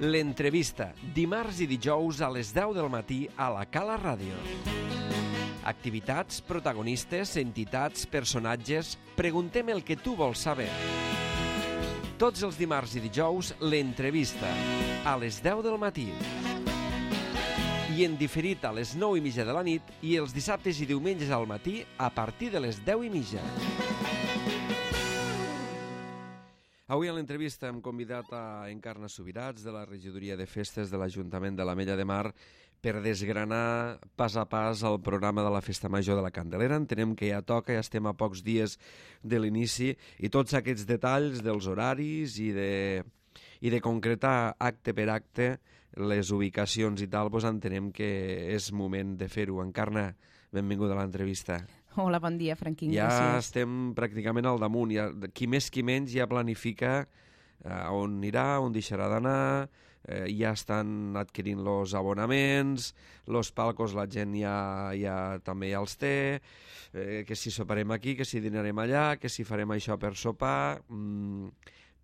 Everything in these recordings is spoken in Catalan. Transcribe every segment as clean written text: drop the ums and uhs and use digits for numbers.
L'entrevista, dimarts i dijous a les 10 del matí a la Cala Ràdio. Activitats, protagonistes, entitats, personatges... Preguntem el que tu vols saber. Tots els dimarts i dijous, l'entrevista, a les 10 del matí. I en diferit a les 9:30 de la nit i els dissabtes i diumenges al matí a partir de les 10:30. Avui a l'entrevista hem convidat a Encarna Subirats, de la regidoria de festes de l'Ajuntament de l'Ametlla de Mar, per desgranar pas a pas el programa de la Festa Major de la Candelera. Entenem que ja toca, ja estem a pocs dies de l'inici, i tots aquests detalls dels horaris i de concretar acte per acte les ubicacions i tal, doncs entenem que és moment de fer-ho. Encarna, benvinguda a l'entrevista. Hola, bon dia, Franquín. Ja gràcies. estem pràcticament al damunt. Ja, qui més qui menys ja planifica on anirà, on deixarà d'anar, ja estan adquirint els abonaments, els palcos la gent ja també ja els té, que si soparem aquí, que si dinarem allà, que si farem això per sopar...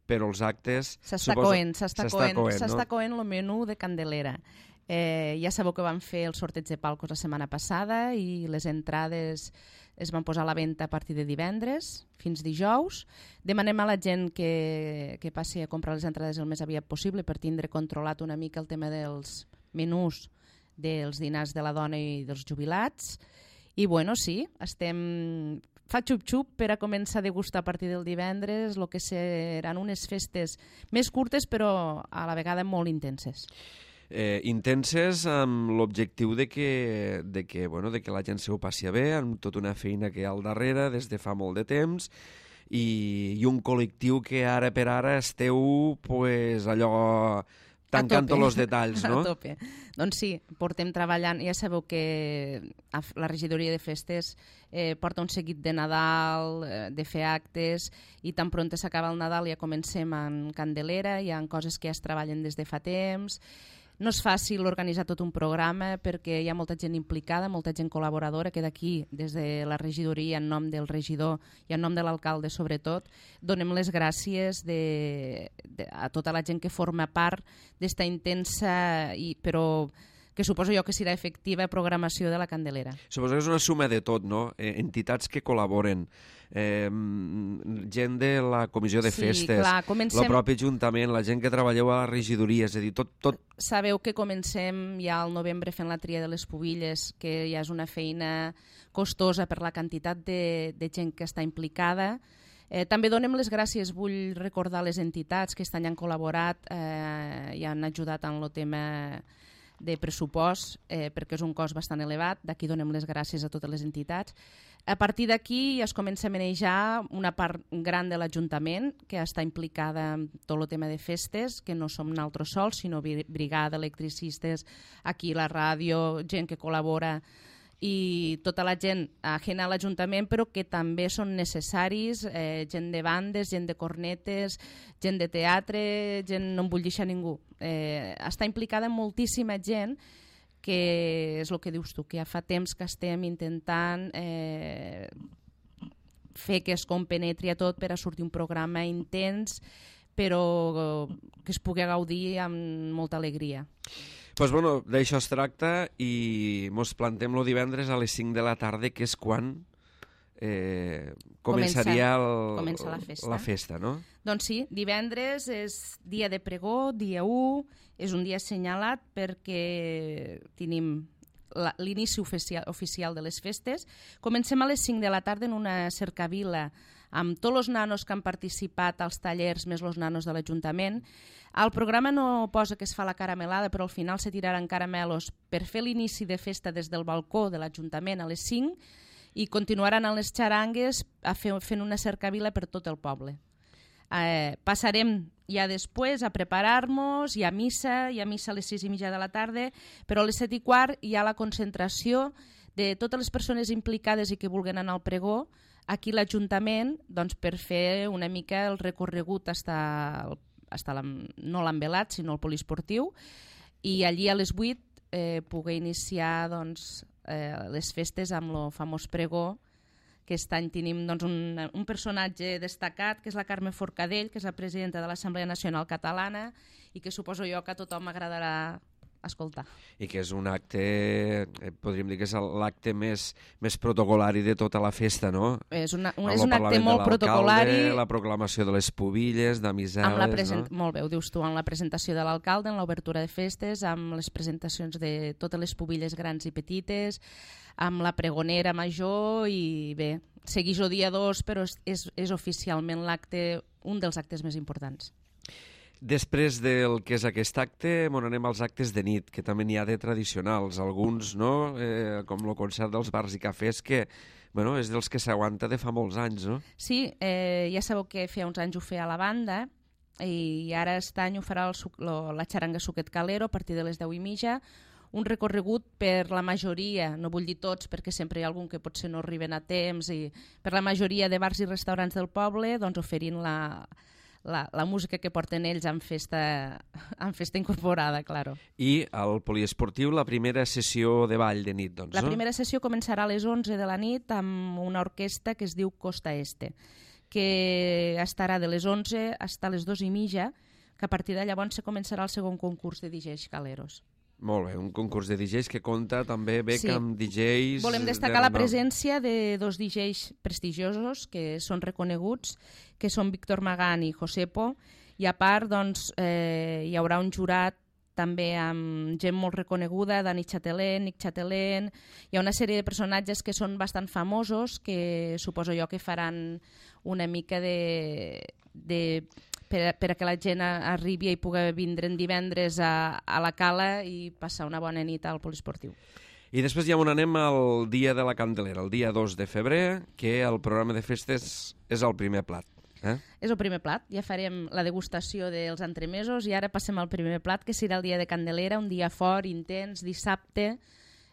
però els actes... S'està coent el menú de Candelera. Ja sabeu que vam fer el sorteig de palcos la setmana passada i les entrades es van posar a la venda a partir de divendres fins dijous. Demanem a la gent que passi a comprar les entrades el més aviat possible per tindre controlat una mica el tema dels menús dels dinars de la dona i dels jubilats. I bueno, sí, fa xup-xup per a començar a degustar a partir del divendres el que seran unes festes més curtes però a la vegada molt intenses. Intenses amb l'objectiu de que la gent se ho passi bé, amb tota una feina que hi ha al darrere des de fa molt de temps i un col·lectiu que ara per ara esteu pues, allò tancant tots els detalls, no? A tope. Doncs sí, portem treballant, ja sabeu que la regidoria de festes porta un seguit de Nadal, de fer actes, i tan pront s'acaba el Nadal ja comencem en Candelera, hi ha coses que ja es treballen des de fa temps. No és fàcil organitzar tot un programa perquè hi ha molta gent implicada, molta gent col·laboradora, que d'aquí, des de la regidoria, en nom del regidor i en nom de l'alcalde sobretot, donem les gràcies a tota la gent que forma part d'esta intensa, però que suposo jo que serà efectiva programació de la Candelera. Suposo que és una suma de tot, no? Entitats que col·laboren, gent de la comissió de festes, el propi Ajuntament, la gent que treballeu a la regidoria, és a dir, tot... Sabeu que comencem ja al novembre fent la tria de les pubilles, que ja és una feina costosa per la quantitat de gent que està implicada. També donem les gràcies, vull recordar les entitats que aquest any han col·laborat i han ajudat en el tema de pressupost, perquè és un cost bastant elevat. D'aquí donem les gràcies a totes les entitats. A partir d'aquí es comença a manejar una part gran de l'Ajuntament que està implicada en tot el tema de festes, que no som nosaltres sols, sinó brigada, electricistes, aquí la ràdio, gent que col·labora i tota la gent ajena a l'Ajuntament, però que també són necessaris, gent de bandes, gent de cornetes, gent de teatre, gent, no en vull deixar ningú. Està implicada moltíssima gent, que és el que dius tu, que ja fa temps que estem intentant fer que es compenetri a tot per a sortir un programa intens, però que es pugui gaudir amb molta alegria. Doncs bueno, d'això es tracta i mos plantem el divendres a les 5 de la tarda, que és quan començaria la festa, no? Doncs sí, divendres és dia de pregó, dia 1, és un dia assenyalat perquè tenim l'inici oficial de les festes. Comencem a les 5 de la tarda en una cercavila amb tots els nanos que han participat als tallers més els nanos de l'Ajuntament. El programa no posa que es fa la caramelada, però al final se tiraran caramelos per fer l'inici de festa des del balcó de l'Ajuntament a les 5 i continuaran a les xarangues fent una cercavila per tot el poble. Passarem ja després a preparar-nos, hi ha missa a les 6:30 de la tarda, però a les 7:15 hi ha la concentració de totes les persones implicades i que vulguin anar al pregó aquí a l'Ajuntament, doncs, per fer una mica el recorregut no l'envelat, sinó el poliesportiu, i allí a les 8 poder iniciar doncs, les festes amb el famós pregó Aquest any tenim doncs, un personatge destacat, que és la Carme Forcadell, que és la presidenta de l'Assemblea Nacional Catalana i que suposo jo que a tothom m'agradarà escoltar. I que és un acte, podríem dir que és l'acte més protocolari de tota la festa, no? És un acte molt protocolari. La proclamació de les pubilles, d'amisades, no? Molt bé, ho dius tu, amb la presentació de l'alcalde, en l'obertura de festes, amb les presentacions de totes les pubilles grans i petites, amb la pregonera major i bé, segueix el dia 2, però és oficialment un dels actes més importants. Després del que és aquest acte, anem als actes de nit, que també n'hi ha de tradicionals. Alguns, no? Com el concert dels bars i cafès, que és dels que s'aguanta de fa molts anys, no? Sí, ja sabeu que feia uns anys ho feia la banda, i ara aquest any ho farà la xaranga Suquet Calero a partir de les 10:30, un recorregut per la majoria, no vull dir tots perquè sempre hi ha algun que potser no arriben a temps, i per la majoria de bars i restaurants del poble, doncs oferint la música que porten ells en festa incorporada, claro. I al poliesportiu la primera sessió de ball de nit, doncs, La primera sessió començarà a les 11 de la nit amb una orquestra que es diu Costa Este, que estarà de les 11 fins a les 2:30, que a partir de llavors se començarà el segon concurs de DJs caleros. Molt bé, un concurs de DJs que compta també amb DJs... Volem destacar la presència de dos DJs prestigiosos que són reconeguts, que són Víctor Magán i Josepo, i a part doncs, hi haurà un jurat també amb gent molt reconeguda, Dani Chatelén, Nick Chatelén, hi ha una sèrie de personatges que són bastant famosos, que suposo jo que faran una mica per a que la gent arribi i pugui vindre en divendres a la Cala i passar una bona nit al poliesportiu. I després ja on anem al dia de la Candelera, el dia 2 de febrer, que el programa de festes és el primer plat. És el primer plat, ja farem la degustació dels entremesos i ara passem al primer plat, que serà el dia de Candelera, un dia fort, intens, dissabte.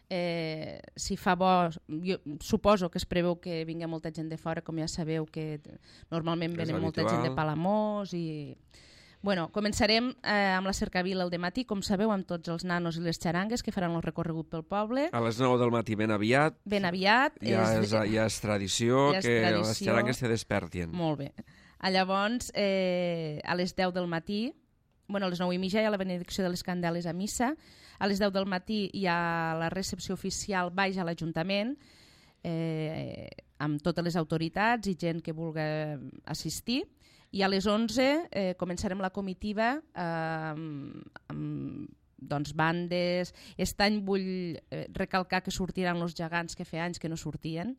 Si fa bo, jo suposo que es preveu que vingui molta gent de fora, com ja sabeu que normalment venen molta gent de Palamós i... Bueno, començarem amb la cercavila al dematí, com sabeu, amb tots els nanos i les xarangues que faran el recorregut pel poble. A les 9 del matí ben aviat. Ben aviat. Ja és tradició que les xarangues se despertin. Molt bé. Llavors, a les 10 del matí, a les 9:30 hi ha la benedicció de les candeles a missa. A les 10 del matí hi ha la recepció oficial baix a l'Ajuntament, amb totes les autoritats i gent que vulgui assistir. I a les 11 començarem la comitiva amb bandes. Aquest any vull recalcar que sortiran els gegants que feia anys que no sortien.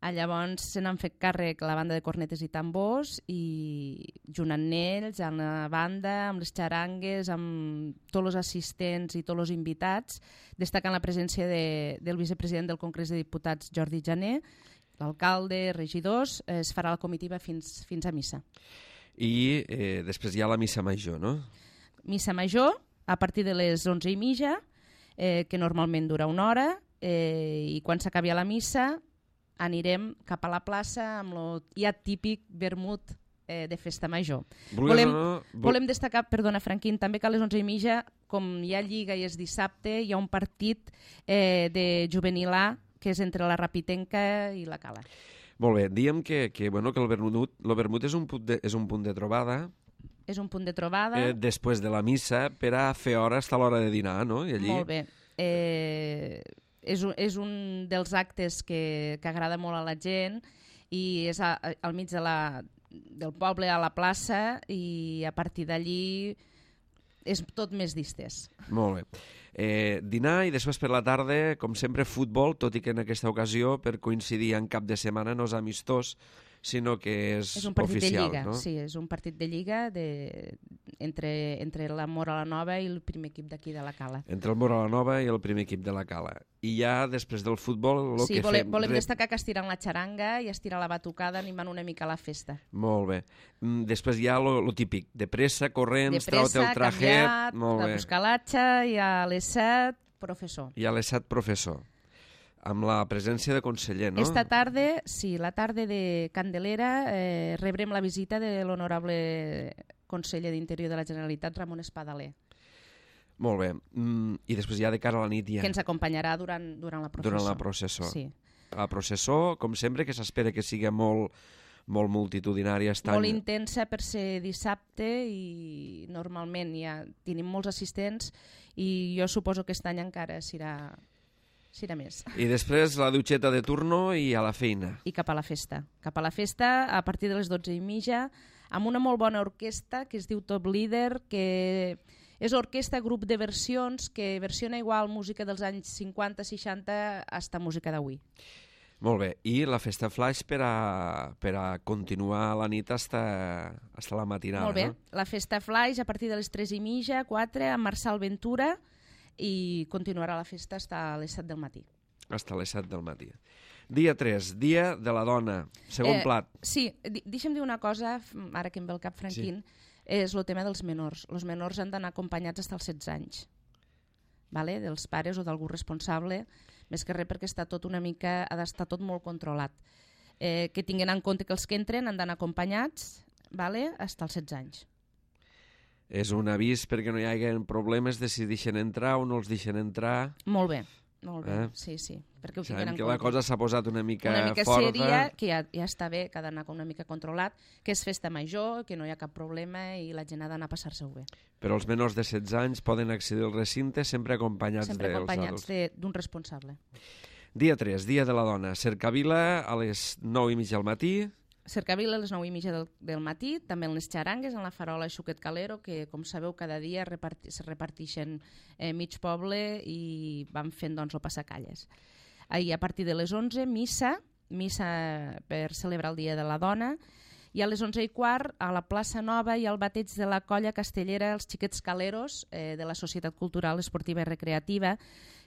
Llavors se n'han fet càrrec la banda de cornetes i tambors i junt amb ells, amb la banda, amb les xarangues, amb tots els assistents i tots els invitats, destacant la presència del vicepresident del Congrés de Diputats, Jordi Jané, l'alcalde, regidors. Es farà la comitiva fins a missa. I després hi ha la missa major, no? Missa major, a partir de les 11:30, que normalment dura una hora, i quan s'acabi la missa anirem cap a la plaça amb el ja típic vermut de festa major. Volem destacar, perdona Franquín, també que a les 11:30, com hi ha lliga i és dissabte, hi ha un partit de juvenil A, que és entre la Rapitenca i la Cala. Molt bé, diem que el vermut és un punt de trobada. És un punt de trobada. Després de la missa, per a fer hora fins a l'hora de dinar, no? I allí... Molt bé. És un dels actes que agrada molt a la gent i és al mig del poble, a la plaça, i a partir d'allí és tot més distès. Molt bé. Dinar i després per la tarda, com sempre, futbol, tot i que en aquesta ocasió, per coincidir en cap de setmana, no és amistós, sinó que és un partit oficial, de lliga, no? Sí, és un partit de lliga entre la Mora la Nova i el primer equip d'aquí de la Cala. Entre el Mora la Nova i el primer equip de la Cala. I ja després del futbol... Sí, volem destacar que estiran la xaranga i estirar la batucada animant una mica la festa. Molt bé. Després hi ha lo típic, de pressa, corrents, trau-te el trajet... Canviat, de buscar l'atxa, i a les 7, professor. I a les 7, professor. Amb la presència de conseller, no? Esta tarda, sí, la tarda de Candelera, rebrem la visita de l'honorable conseller d'Interior de la Generalitat, Ramon Espadaler. Molt bé. I després ja de cara a la nit ja... Que ens acompanyarà durant la processó. Durant la processó. Sí. a processó, com sempre, que s'espera que sigui molt multitudinària. Molt intensa per ser dissabte i normalment ja tenim molts assistents i jo suposo que aquest any encara serà més. I després la dutxeta de turno i a la feina. I cap a la festa. Cap a la festa a partir de les 12:30 amb una molt bona orquestra que es diu Top Leader, que és orquestra grup de versions que versiona igual música dels anys 50-60 hasta música d'avui. Molt bé, i la festa flash per a continuar la nit hasta la matinada. Molt bé, no? La festa flash a partir de les 3:30, 4, amb Marçal Ventura, i continuarà la festa fins a les 7 del matí. Hasta les 7 del matí. Dia 3, dia de la dona, segon plat. Sí, deixa'm dir una cosa, ara que em ve el cap Franquín, és el tema dels menors. Els menors han d'anar acompanyats fins als 16 anys, vale? Dels pares o d'algú responsable, més que res perquè ha d'estar tot molt controlat. Que tinguin en compte que els que entren han d'anar acompanyats, vale? Fins als 16 anys. És un avís perquè no hi hagi problemes de si deixen entrar o no els deixen entrar. Molt bé, sí. Perquè ho tinguin en que compte. La cosa s'ha posat una mica forta. Sèria, que ja està bé, que ha d'anar una mica controlat, que és festa major, que no hi ha cap problema i la gent ha d'anar a passar-se-ho bé. Però els menors de 16 anys poden accedir al recinte sempre acompanyats d'un responsable. Dia 3, dia de la dona. Cercavila a les 9:30 del matí. Cercavila a les 9:30 del matí, també en les xarangues, en la farola Xuquet Calero, que com sabeu cada dia se reparteixen mig poble i van fent el passacalles. Ahir a partir de les 11, missa per celebrar el Dia de la Dona, i a les 11:15 a la plaça Nova hi ha el bateig de la colla castellera Els Xiquets Caleros de la Societat Cultural Esportiva i Recreativa,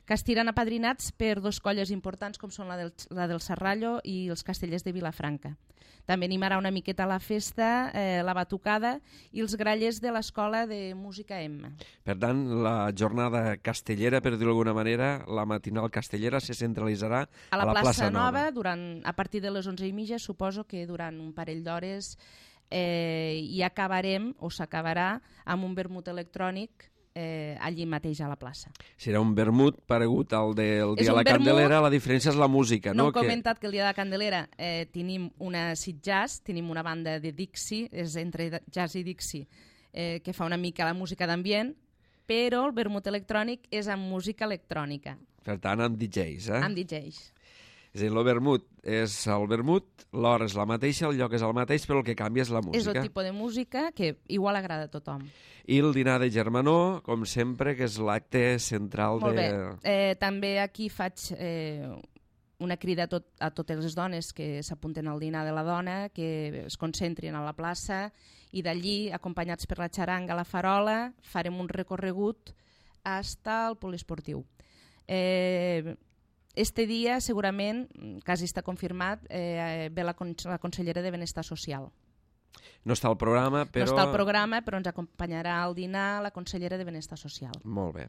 que estiran apadrinats per dos colles importants com són la del Serrallo i els Castellers de Vilafranca. També animarà una miqueta a la festa la batucada i els grallers de l'Escola de Música Emma. Per tant, la jornada castellera, per dir-ho d'alguna manera, la matinal castellera se centralitzarà a la plaça Nova. A partir de les 11:30, suposo que durant un parell d'hores i acabarem, o s'acabarà, amb un vermut electrònic allí mateix a la plaça. Serà un vermut paregut al del Dia de la Candelera, la diferència és la música, no? No he comentat que el Dia de la Candelera tenim una acid jazz, tenim una banda de Dixie, és entre jazz i Dixie, que fa una mica la música d'ambient, però el vermut electrònic és amb música electrònica. Per tant, amb DJs, Amb DJs. És a dir, el vermut és el vermut, l'hora és la mateixa, el lloc és el mateix, però el que canvia és la música. És el tipus de música que igual agrada a tothom. I el dinar de germanor, com sempre, que és l'acte central Molt bé. També aquí faig una crida a totes les dones que s'apunten al dinar de la dona, que es concentrin a la plaça i d'allí, acompanyats per la xaranga a la farola, farem un recorregut fins al poliesportiu. Este dia, segurament, quasi està confirmat, ve la consellera de Benestar Social. No està al programa, però... No està al programa, però ens acompanyarà al dinar la consellera de Benestar Social. Molt bé.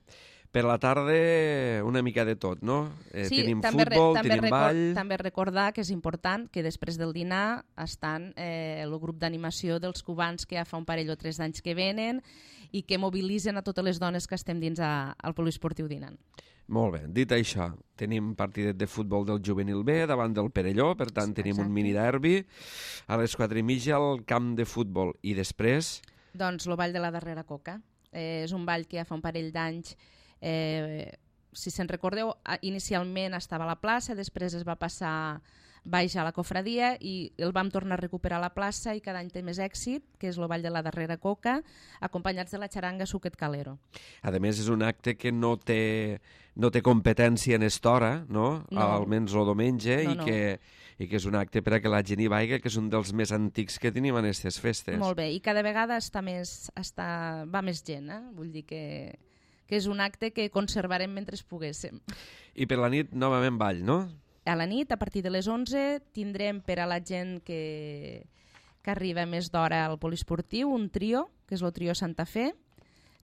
Per la tarda, una mica de tot, no? Sí, tenim futbol, tenim ball... També recordar que és important que després del dinar estan el grup d'animació dels cubans que ja fa un parell o 3 d'anys que venen i que mobilitzen a totes les dones que estem dins al poliesportiu dinant. Molt bé, dit això, tenim partidet de futbol del juvenil B davant del Perelló, per tant tenim un mini derbi a les 4:30 al camp de futbol. I després? Doncs el ball de la darrera coca. És un ball que ja fa un parell d'anys, si se'n recordeu, inicialment estava a la plaça, després es va passar baix a la cofradia i el vam tornar a recuperar a la plaça i cada any té més èxit, que és el ball de la darrera coca, acompanyats de la xaranga Xuquet Calero. A més, és un acte que no té competència en estora, no? Almenys el diumenge, i que és un acte per a que la gent hi vagi, que és un dels més antics que tenim en aquestes festes. Molt bé, i cada vegada va més gent, vull dir que és un acte que conservarem mentre poguéssim. I per la nit, novament ball, no? A la nit, a partir de les 11, tindrem per a la gent que arriba més d'hora al poliesportiu un trio, que és el trio Santa Fe,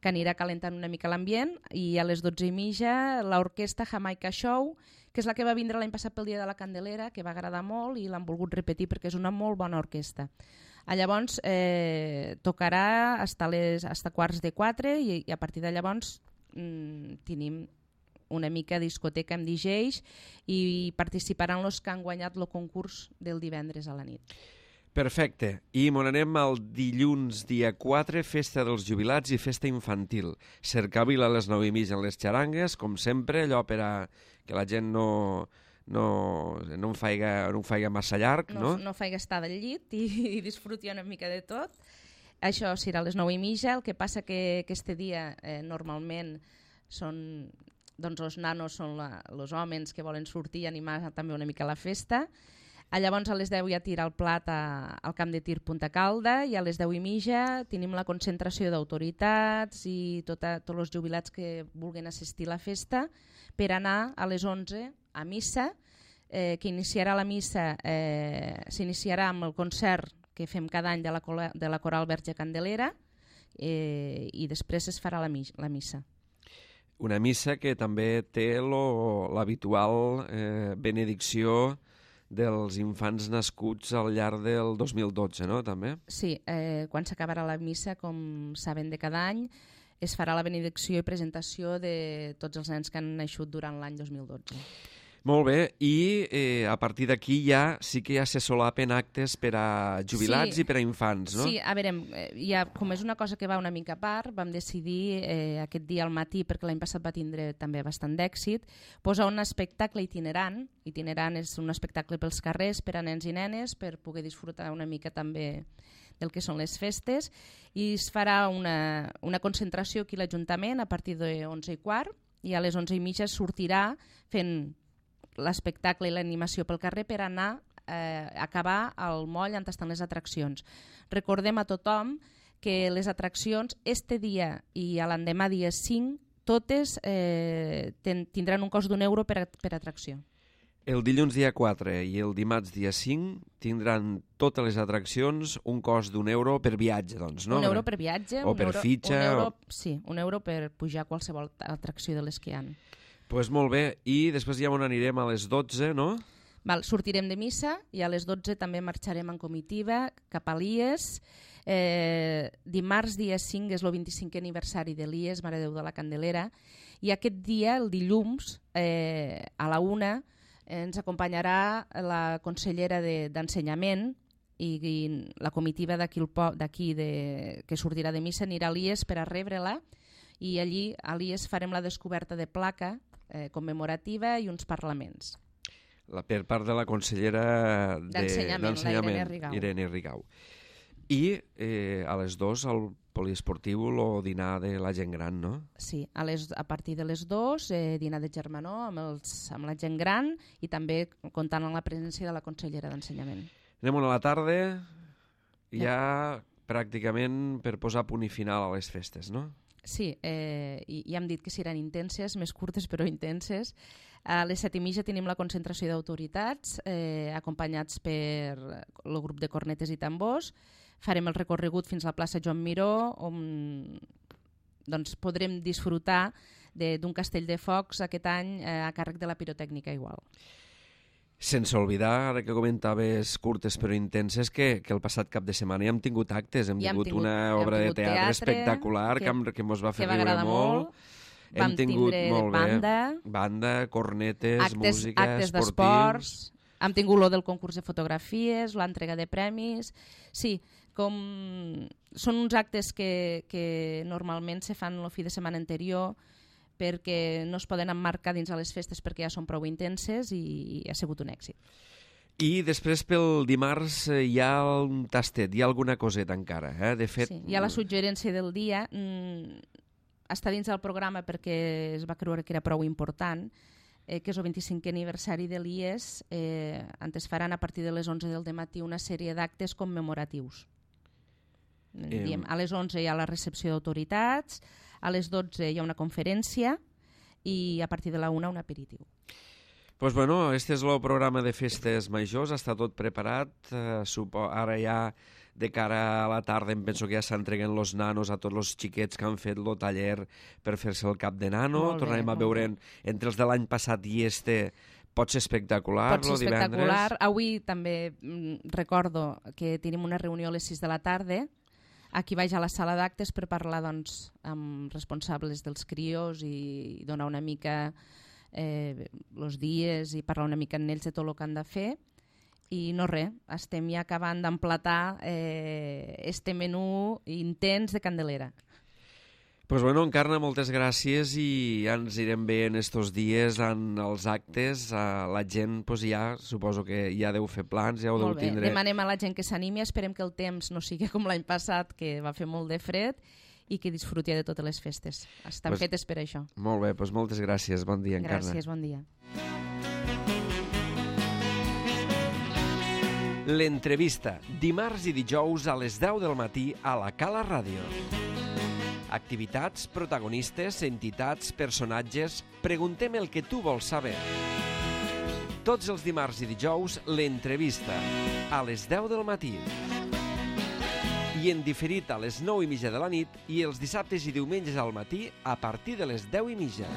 que anirà calentant una mica l'ambient, i a les 12:30 l'orquestra Jamaica Show, que és la que va vindre l'any passat pel Dia de la Candelera, que va agradar molt i l'han volgut repetir perquè és una molt bona orquestra. Llavors tocarà fins 3:45 i a partir de llavors tenim una mica discoteca amb DJs i participaran els que han guanyat el concurs del divendres a la nit. Perfecte. I m'on anem el dilluns dia 4, festa dels jubilats i festa infantil. Cercavila a les 9:30 en les xarangues, com sempre, allò per a que la gent no en faiga massa llarg, no? No faiga estar del llit i disfruti una mica de tot. Això serà a les 9:30, el que passa que aquest dia normalment són, doncs els nanos són els homes que volen sortir i animar també una mica la festa. Llavors a les 10 ja tira el plat al camp de tir Punta Calda i a les 10:30 tenim la concentració d'autoritats i tots els jubilats que vulguin assistir a la festa per anar a les 11 a missa, que iniciarà la missa, s'iniciarà amb el concert que fem cada any de la Coral Verge Candelera i després es farà la missa. Una missa que també té l'habitual benedicció dels infants nascuts al llarg del 2012, no? També? Sí, quan s'acabarà la missa, com saben de cada any, es farà la benedicció i presentació de tots els nens que han naixut durant l'any 2012. Molt bé, i a partir d'aquí sí que ja se solapen actes per a jubilats i per a infants, no? Sí, a veure, com és una cosa que va una mica a part, vam decidir aquest dia al matí, perquè l'any passat va tindre també bastant d'èxit, posar un espectacle itinerant. Itinerant és un espectacle pels carrers per a nens i nenes, per poder disfrutar una mica també del que són les festes, i es farà una concentració aquí a l'Ajuntament a partir de 11:15, i a les 11:30 sortirà fent l'espectacle i l'animació pel carrer per anar a acabar al moll on estan les atraccions. Recordem a tothom que les atraccions este dia i a l'endemà dia 5 totes tindran un cost d'€1 per atracció. El dilluns dia 4 i el dimarts dia 5 tindran totes les atraccions un cost d'€1 per viatge, doncs, no? €1 per viatge. O per fitxa. Sí, €1 per pujar a qualsevol atracció de les que hi ha. Doncs molt bé, i després ja on anirem a les 12, no? Sortirem de missa i a les 12 també marxarem en comitiva cap a l'IES. Dimarts dia 5 és el 25è aniversari de l'IES, Mare de Déu de la Candelera, i aquest dia, el dilluns, a la 1, ens acompanyarà la consellera d'Ensenyament i la comitiva d'aquí que sortirà de missa anirà a l'IES per a rebre-la, i allí a l'IES farem la descoberta de placa commemorativa i uns parlaments. Per part de la consellera d'Ensenyament, Irene Rigau. I a les 2 al poliesportiu o dinar de la gent gran, no? Sí, a partir de les 2 dinar de germanor amb la gent gran i també comptant amb la presència de la consellera d'Ensenyament. Anem a la tarda, ja pràcticament per posar punt i final a les festes, no? Sí, ja hem dit que seran intenses, més curtes però intenses. A les 7:30 tenim la concentració d'autoritats, acompanyats per el grup de cornetes i tambors. Farem el recorregut fins a la plaça Joan Miró, on podrem disfrutar d'un castell de focs aquest any a càrrec de la pirotècnica igual. Sense oblidar, ara que comentaves curtes però intenses, que el passat cap de setmana ja hem tingut actes, hem tingut una obra de teatre espectacular que ens va fer riure molt. Vam tindre banda, cornetes, música, actes d'esports, hem tingut lo del concurs de fotografies, l'entrega de premis. Sí, són uns actes que normalment se fan el fi de setmana anterior, perquè no es poden emmarcar dins a les festes perquè ja són prou intenses i ha sigut un èxit. I després pel dimarts hi ha un tastet, hi ha alguna coseta encara. De fet, sí, hi ha la suggerència del dia, està dins del programa perquè es va creure que era prou important, que és el 25è aniversari de l'IES, on es faran a partir de les 11 del matí una sèrie d'actes commemoratius. A les 11 hi ha la recepció d'autoritats, a les 12 hi ha una conferència i a partir de la 1 un aperitiu. Doncs bueno, este és el programa de festes majors, està tot preparat. Ara ja de cara a la tarda em penso que ja s'entreguen els nanos a tots els xiquets que han fet el taller per fer-se el cap de nano. Tornarem a veure entre els de l'any passat i pot ser espectacular. Pot ser espectacular. Avui també recordo que tenim una reunió a les 6 de la tarda Aquí vaig a la sala d'actes per parlar doncs, amb responsables dels crios i donar una mica els dies i parlar una mica amb ells de tot el que han de fer. I no res, estem ja acabant d'emplatar este menú intens de Candelera. Pues bueno, Encarna, moltes gràcies i ja ens irem bé en estos dies en els actes. La gent pues, ja suposo que ja deu fer plans, ja ho deu tindre. Demanem a la gent que s'animi, esperem que el temps no sigui com l'any passat, que va fer molt de fred, i que disfruti de totes les festes. Estan fetes per això. Molt bé, doncs moltes gràcies. Bon dia, Encarna. Gràcies, bon dia. L'entrevista, dimarts i dijous a les 10 del matí a la Cala Ràdio. Activitats, protagonistes, entitats, personatges... Preguntem el que tu vols saber. Tots els dimarts i dijous, l'entrevista, a les 10 del matí. I en diferit a les 9:30 de la nit i els dissabtes i diumenges al matí a partir de les 10:30.